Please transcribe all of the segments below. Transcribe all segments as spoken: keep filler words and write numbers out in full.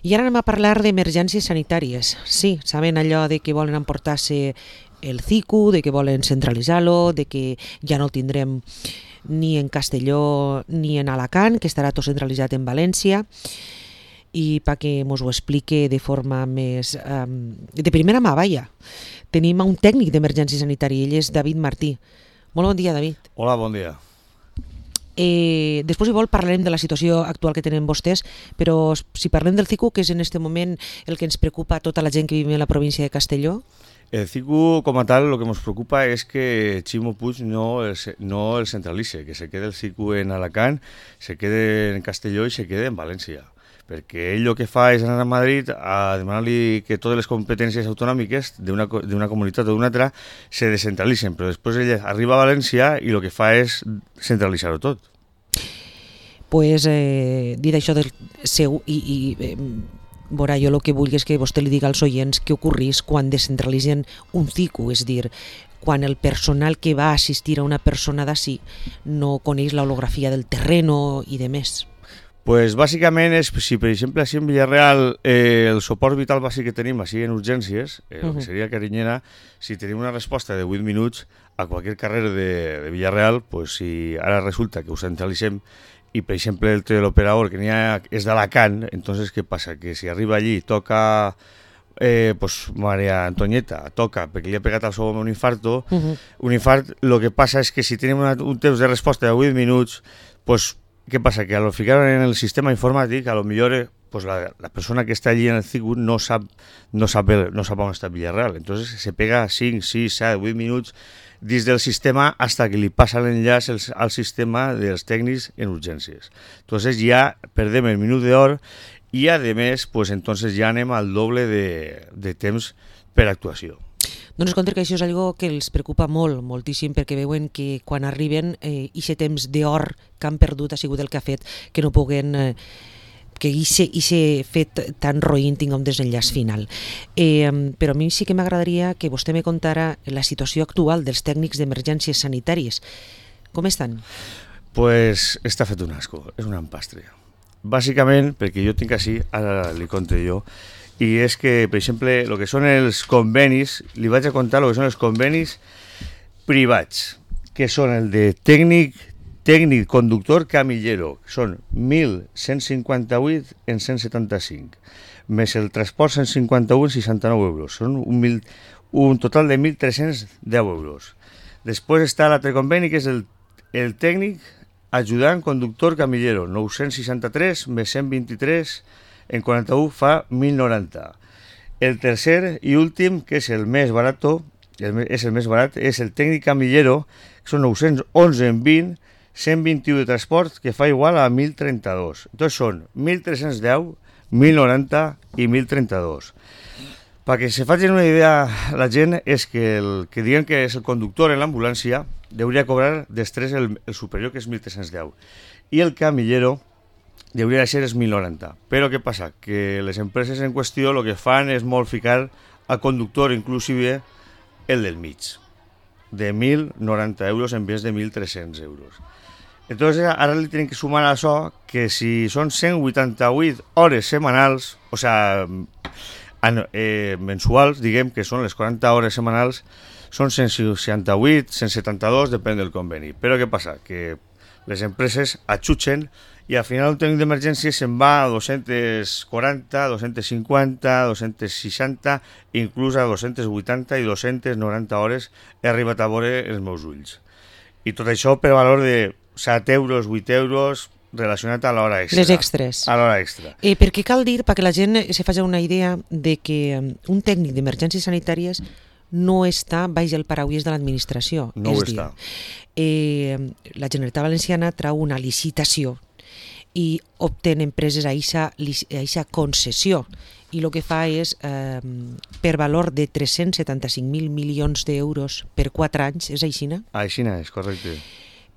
I ara anem a parlar d'emergències sanitàries. Sí, saben allò de que volen emportar-se el C I C U, de que volen centralitzar-lo, de que ja no el tindrem ni en Castelló ni en Alacant, que estarà tot centralitzat en València. I perquè mos ho explique de forma més... Um, de primera mà, vaja. Tenim un tècnic d'emergència sanitària, ell és David Martí. Molt bon dia, David. Hola, bon dia. Eh, després, si vol, parlarem de la situació actual que tenen vostès, però si parlem del C I C U, que és en aquest moment el que ens preocupa a tota la gent que vive en la província de Castelló. El C I C U, como tal, lo que nos preocupa es que Ximo Puig no el, no el centralice, que se quede el C I C U en Alacant, se quede en Castelló i se quede en València. Perquè ell el que fa és anar a Madrid a demanar-li que totes les competències autonòmiques d'una d'una comunitat o d'una altra se descentralitzen, però després ell arriba a València i el que fa és centralitzar-ho tot. Pues, eh, dit això del seu, i, i eh, veurà, jo el que vull és que vostè li diga als oients què ocorrís quan descentralitzen un C I C U, és dir, quan el personal que va assistir a una persona d'ací no coneix l'holografia del terreno i de més. Pues bàsicament és, si per exemple així en Villarreal eh, el suport vital bàsic que tenim així en urgències, eh, el que seria Carinyena, si tenim una resposta de vuit minuts a qualsevol carrer de, de Villarreal, pues si ara resulta que ho centralitzem i per exemple el teleoperador que n'hi ha és d'Alacant, entonces què passa? Que si arriba allí toca eh, pues Maria Antonieta, toca perquè li ha pegat al seu home un infarto, uh -huh. un infart, el que passa és que si tenim una, un temps de resposta de vuit minuts, pues ¿qué pasa? Que al fijar en el sistema informático, a lo mejor pues la, la persona que está allí en el C I C U no sabe, no sabe, no sabe on està Villarreal. Entonces se pega cinc, sis, set, vuit minuts dins del sistema hasta que li passa l'enllaç al sistema dels tècnics en urgències. Entonces ja perdem el minut d'or i a més pues entonces ja anem al doble de, de temps per actuació. Dones compte que això és algo que els preocupa molt, moltíssim, perquè veuen que quan arriben eh, aquest temps d'or que han perdut ha sigut el que ha fet que no puguen... Eh, que aquest fet tan roïn tingui un desenllaç final. Eh, però a mi sí que m'agradaria que vostè me contara la situació actual dels tècnics d'emergències sanitàries. Com estan? Pues està fet un asco, és un empastre. Bàsicament, perquè jo tinc així, ara li conto jo, i és que, per exemple, el que són els convenis, li vaig a contar el que són els convenis privats, que són el de tècnic, tècnic conductor camillero, que són mil cent cinquanta-vuit en cent setanta-cinc, més el transport cent cinquanta-u en seixanta-nou euros, són un, mil, un total de mil tres-cents deu euros. Després està l'altre conveni, que és el, el tècnic ajudant conductor camillero, nou-cents seixanta-tres més cent vint-i-tres en quaranta-u fa mil noranta. El tercer i últim, que és el més barat, el, és el més barat, és el tècnic camillero, que són nou-cents onze en vint, cent vint-i-u de transport, que fa igual a mil trenta-dos. Entonces són mil tres-cents deu, mil noranta i mil trenta-dos. Perquè se facin una idea la gent és que el que diuen que és el conductor en l'ambulància hauria cobrar després el, el superior, que és mil tres-cents deu. I el camillero hauria de ser els mil noranta. Però què passa? Que les empreses en qüestió el que fan és molt ficar a conductor inclusive el del mig, de mil noranta euros en vez de mil tres-cents euros. Entonces ara li tenen que sumar a això que si són cent vuitanta-vuit hores setmanals, o sea, eh, mensuals, diguem que són les quaranta hores setmanals, són cent seixanta-vuit, cent setanta-dos, depèn del conveni. Però què passa? Que les empreses atxutxen i al final un tècnic d'emergència se'n va a dos-cents quaranta, dos-cents cinquanta, dos-cents seixanta, inclús a dos-cents vuitanta i dos-cents noranta hores he arribat a veure els meus ulls. I tot això per valor de set euros, vuit euros, relacionat a l'hora extra. Les extres. A l'hora extra. Eh, perquè cal dir, perquè la gent se faci una idea de que un tècnic d'emergències sanitàries no està baix el paraules de l'administració. No ho està. Eh, la Generalitat Valenciana trau una licitació i obtén empreses a aquesta concessió i el que fa és, eh, per valor de tres-cents setanta-cinc mil milions d'euros per quatre anys, és aixina? Aixina és, correcte.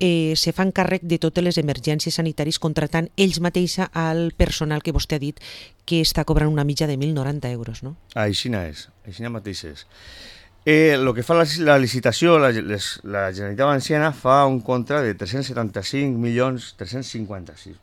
Eh, se fan càrrec de totes les emergències sanitàries contratant ells mateixa al personal que vostè ha dit que està cobrant una mitja de mil noranta euros, no? Aixina és, aixina mateix és. Eh, el que fa la, la licitació, la, les, la Generalitat Valenciana fa un contra de tres-cents setanta-cinc milions tres-cents cinquanta-sis.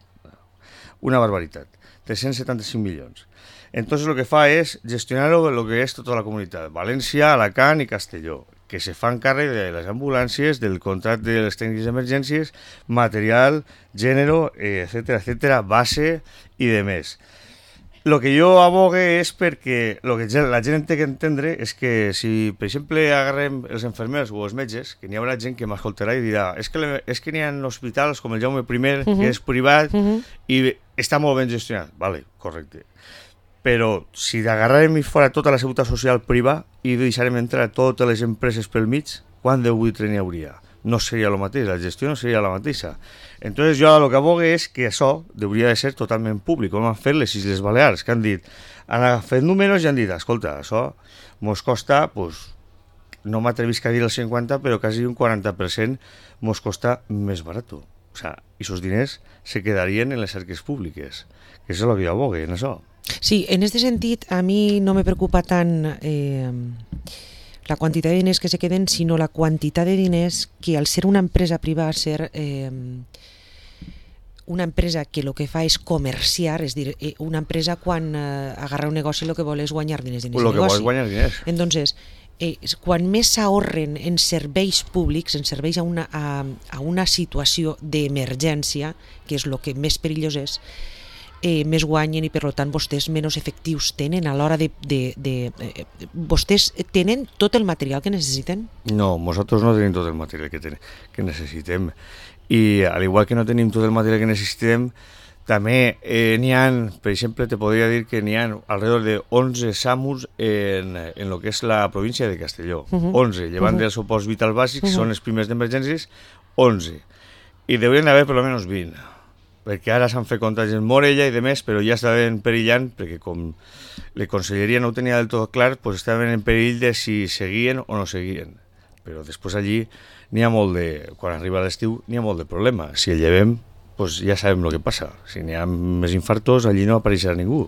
Una barbaritat. cent setanta-cinc milions. Entonces lo que fa es gestionar lo, lo que es tota la comunitat, València, Alacant i Castelló, que se fan càrrec de les ambulàncies, del contracte de les tècnics d'emergències, material, gènere, etcètera, etcètera, base i de més. Lo que jo abogue és perquè lo que la gent té que entendre és que si, per exemple, agarrem els infermers o els metges, que n'hi haurà gent que m'escoltarà i dirà és que, le, és que n'hi ha hospitals com el Jaume I, uh-huh. que és privat uh-huh. i està molt ben gestionat. Vale, correcte. Però si agarrarem i fora tota la seguretat social privada i deixarem entrar totes les empreses pel mig, quant de buitre n'hi hauria? No seria el mateix, la gestió no seria la mateixa. Entonces jo el que abogue és que això hauria de ser totalment públic, com han fet les Illes Balears, que han dit, han fet números i han dit, escolta, això mos costa, pues, no m'atrevisc a dir el cinquanta, però quasi un quaranta per cent mos costa més barat. O sea, esos diners se quedarien en les arques públiques, que és el que jo abogue, en això. Sí, en este sentit, a mi no me preocupa tant eh, la quantitat de diners que se queden, sinó la quantitat de diners que, al ser una empresa privada, ser eh, una empresa que el que fa és comerciar, és dir, eh, una empresa quan eh, agarra un negoci el que vol és guanyar diners dins el el negoci. Vol és guanyar diners. Entonces, eh, quan més s'ahorren en serveis públics, en serveis a una, a, a una situació d'emergència, que és el que més perillós és, Eh, més guanyen i per tant vostès menys efectius tenen a l'hora de, de, de, de... Vostès tenen tot el material que necessiten? No, nosaltres no tenim tot el material que, ten, que necessitem. I al igual que no tenim tot el material que necessitem, també eh, n'hi ha, per exemple, te podria dir que n'hi ha alrededor de onze SAMUs en, en lo que és la província de Castelló. Uh-huh. onze, llevant uh-huh. dels suports vitals bàsics, uh-huh. són els primers d'emergències, onze. I deurien haver per almenys vint. Perquè ara s'han fet contagis en Morella i de més, però ja estaven perillant, perquè com la conselleria no ho tenia del tot clar, pues estaven en perill de si seguien o no seguien. Però després allí n'hi ha molt de, quan arriba l'estiu, n'hi ha molt de problema. Si el llevem, pues ja sabem el que passa. Si n'hi ha més infartos, allí no apareixerà ningú.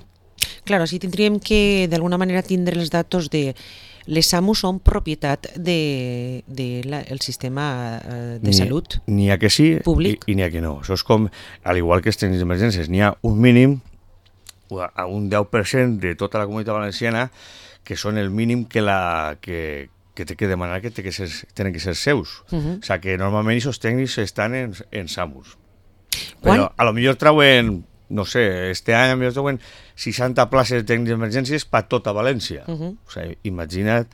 Claro, així tindríem que d'alguna manera tindre els datos de... Les SAMU són propietat del de, de sistema de ni, salut n'hi ha que sí públic. i, i n'hi ha que no. Això és com, al igual que els tècnics d'emergències, n'hi ha un mínim, a un deu per cent de tota la comunitat valenciana, que són el mínim que, la, que, que té que demanar que, té que ser, tenen que ser seus. Uh-huh. O sigui que normalment aquests tècnics estan en, en SAMUs. Però a lo millor trauen... No sé, este any a mi troben seixanta places de tècnics d'emergències per tota València. Uh-huh. O sigui, imagina't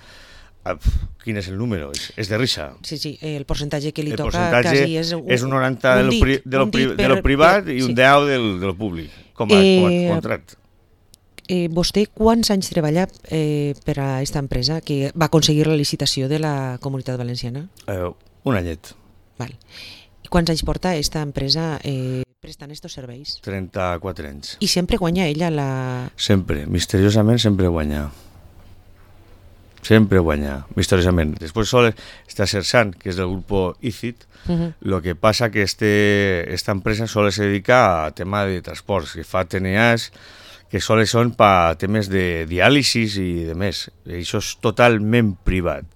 uh, quin és el número, és, és de risa. Sí, sí, el percentatge que li el toca quasi és un, és un noranta un dit, de, lo, de, lo, pri, per, de lo privat per, i un sí. deu del, del públic, com a, eh, com a contracte. Eh, vostè quants anys treballa eh, per a aquesta empresa que va aconseguir la licitació de la Comunitat Valenciana? Eh, un anyet. Val. I quants anys porta aquesta empresa eh, prestant estos serveis? trenta-quatre anys. I sempre guanya ella la... Sempre, misteriosament sempre guanya. Sempre guanya, misteriosament. Després sol està Sersan, que és del grup I C I T. Uh-huh. Lo que passa que este, esta empresa sol se dedica a tema de transports, que fa T N As, que sols són per temes de diàlisis i de més. Això és totalment privat.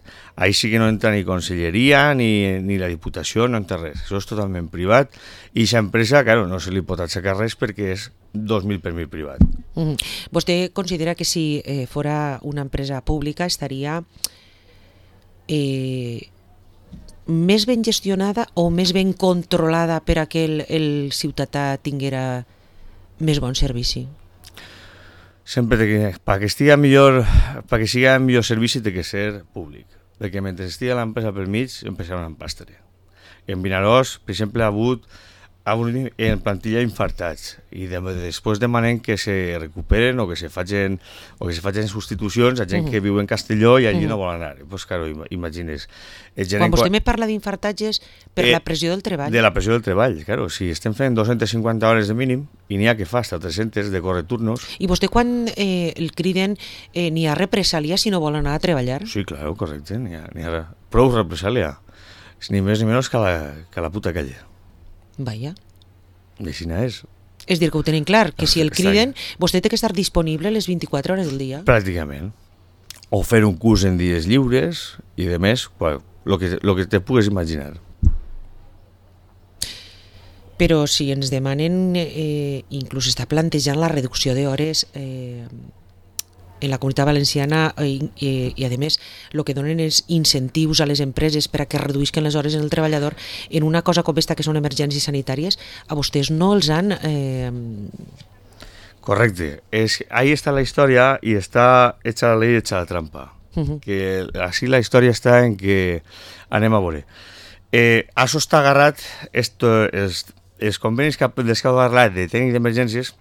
Ahí sí que no entra ni conselleria ni, ni la Diputació, no entra res. Això és totalment privat i aquesta empresa, claro, no se li pot aixecar res perquè és dos mil per mil privat. Mm. Vostè considera que si eh, fora una empresa pública estaria eh, més ben gestionada o més ben controlada per a que el, el ciutadà tinguera més bon servici? Sempre que, perquè estigui millor, perquè sigui millor servici té que ser públic, perquè mentre estigui l'empresa pel mig empezarà una empastre. En Vinaròs, per exemple, ha hagut en plantilla infartats i de, després demanem que se recuperen o que se facin, o que se facin substitucions a gent uh-huh. que viu en Castelló i allí uh-huh. no vol anar. Pues claro, imagines. Quan vostè me parla d'infartatges per eh, la pressió del treball. De la pressió del treball, claro. Si estem fent dos-centes cinquanta hores de mínim i n'hi ha que fa fins a tres-centes de correturnos. I vostè quan eh, el criden eh, n'hi ha represàlia si no vol anar a treballar? Sí, claro, correcte. N'hi ha, n'hi ha prou represàlia. Ni més ni menys que la, que la puta calle. Vaja. I així és. És dir, que ho tenim clar, que si el criden, vostè té que estar disponible les vint-i-quatre hores del dia. Pràcticament. O fer un curs en dies lliures i de més, el que, lo que te pugues imaginar. Però si ens demanen, eh, inclús està plantejant la reducció d'hores eh, en la Comunitat Valenciana i, i, i a més el que donen és incentius a les empreses per a que reduïsquen les hores en el treballador en una cosa com esta que són emergències sanitàries, a vostès no els han... Eh... Correcte, es, ahí está la historia y está hecha la ley, hecha la trampa. Uh-huh. Que así la història està en que anem a veure. Eh, això està agarrat, esto, els, els convenis que, dels que ha parlat de tècnic d'emergències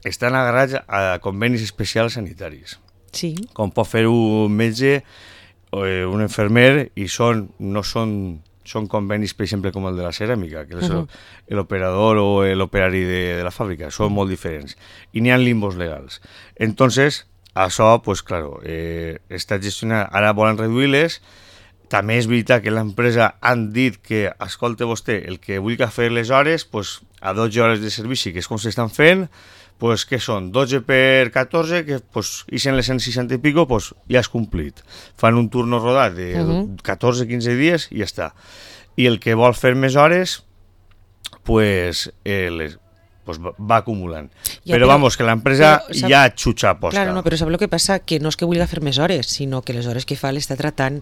estan agarrats a convenis especials sanitaris. Sí. Com pot fer un metge o un infermer i són, no són, són convenis, per exemple, com el de la ceràmica, que és uh-huh. l'operador o l'operari de, de la fàbrica, són molt diferents. I n'hi ha limbos legals. Entonces, això, pues, claro, eh, està gestionat, ara volen reduir-les. També és veritat que l'empresa han dit que, escolta vostè, el que vulgui fer les hores, pues, a dotze hores de servici, que és com s'estan fent, pues, que són dotze per catorze, que pues, i en les cent seixanta i pico, pues, ja has complit. Fan un turno rodat de uh-huh. catorze a quinze dies i ja està. I el que vol fer més hores, pues, eh, les, pues va acumulant. Ja, però, però vamos, que l'empresa però, ja xuxa posta. Claro, no, però sap el que passa? Que no és que vulgui fer més hores, sinó que les hores que fa l'està tratant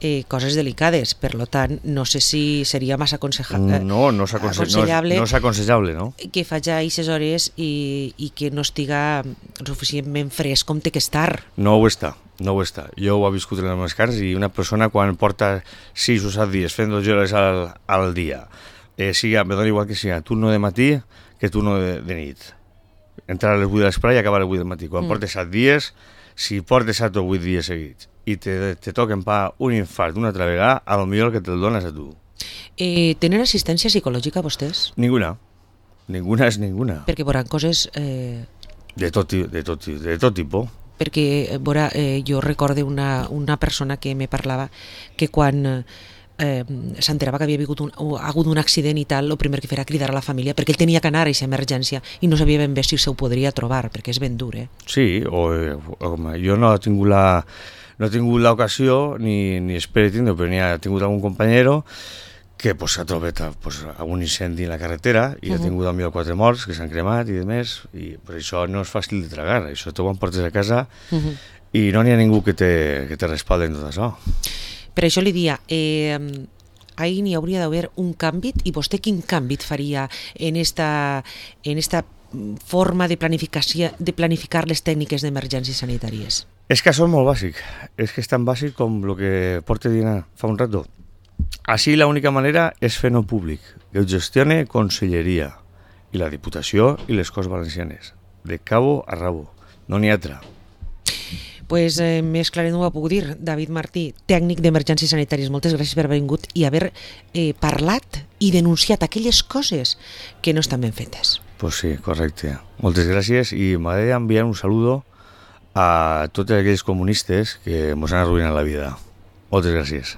eh, coses delicades. Per lo tant, no sé si seria massa aconseja no, no és aconsellable, no és aconsellable, no? Que faci aquestes hores i, i que no estiga suficientment fresc com té que estar. No ho està. No ho està. Jo ho he viscut en les meves carns i una persona quan porta sis o set dies fent dotze hores al, al dia, eh, siga, me dona igual que siga turno de matí que turno de, de nit. Entrar a les vuit de l'esprà i acabar a les vuit del matí. Quan mm. portes set dies, si portes set o vuit dies seguits i te, te toquen pa un infart una altra vegada, a lo millor que te'l dones a tu. Eh, tenen assistència psicològica vostès? Ninguna. Ninguna és ninguna. Perquè veuran coses... Eh... De tot, de tot, de tot tipus. Perquè veurà, eh, jo recorde una, una persona que me parlava que quan... Eh, s'enterava que havia hagut un, hagut un accident i tal, el primer que feia cridar a la família perquè ell tenia que anar a aquesta emergència i no sabia ben bé si se ho podria trobar, perquè és ben dur, eh? Sí, o, o jo no he tingut la no he tingut l'ocasió ni, ni espero tindre, però n'hi ha tingut algun companyero que pues, s'ha trobat pues, un incendi en la carretera i uh-huh. ha tingut al millor quatre morts que s'han cremat i demés, i pues, això no és fàcil de tragar, això te ho portes a casa uh-huh. i no n'hi ha ningú que te, que te respaldi en tot això. Per això li dia, eh, ahir n'hi hauria d'haver un canvi, i vostè quin canvi faria en esta, en esta forma de, planificació, de planificar les tècniques d'emergències sanitàries? És que això és molt bàsic, és que és tan bàsic com el que porta dient fa un rato. Així l'única manera és fer-no públic, que ho gestione Conselleria i la Diputació i les Corts Valencianes, de cabo a rabo, no n'hi ha altra. Pues eh, més clar no ho puc dir. David Martí, tècnic d'emergències sanitàries, moltes gràcies per haver vingut i haver eh, parlat i denunciat aquelles coses que no estan ben fetes. Pues sí, correcte. Moltes gràcies i m'agradaria enviar un saludo a tots aquells comunistes que ens han arruïnat la vida. Moltes gràcies.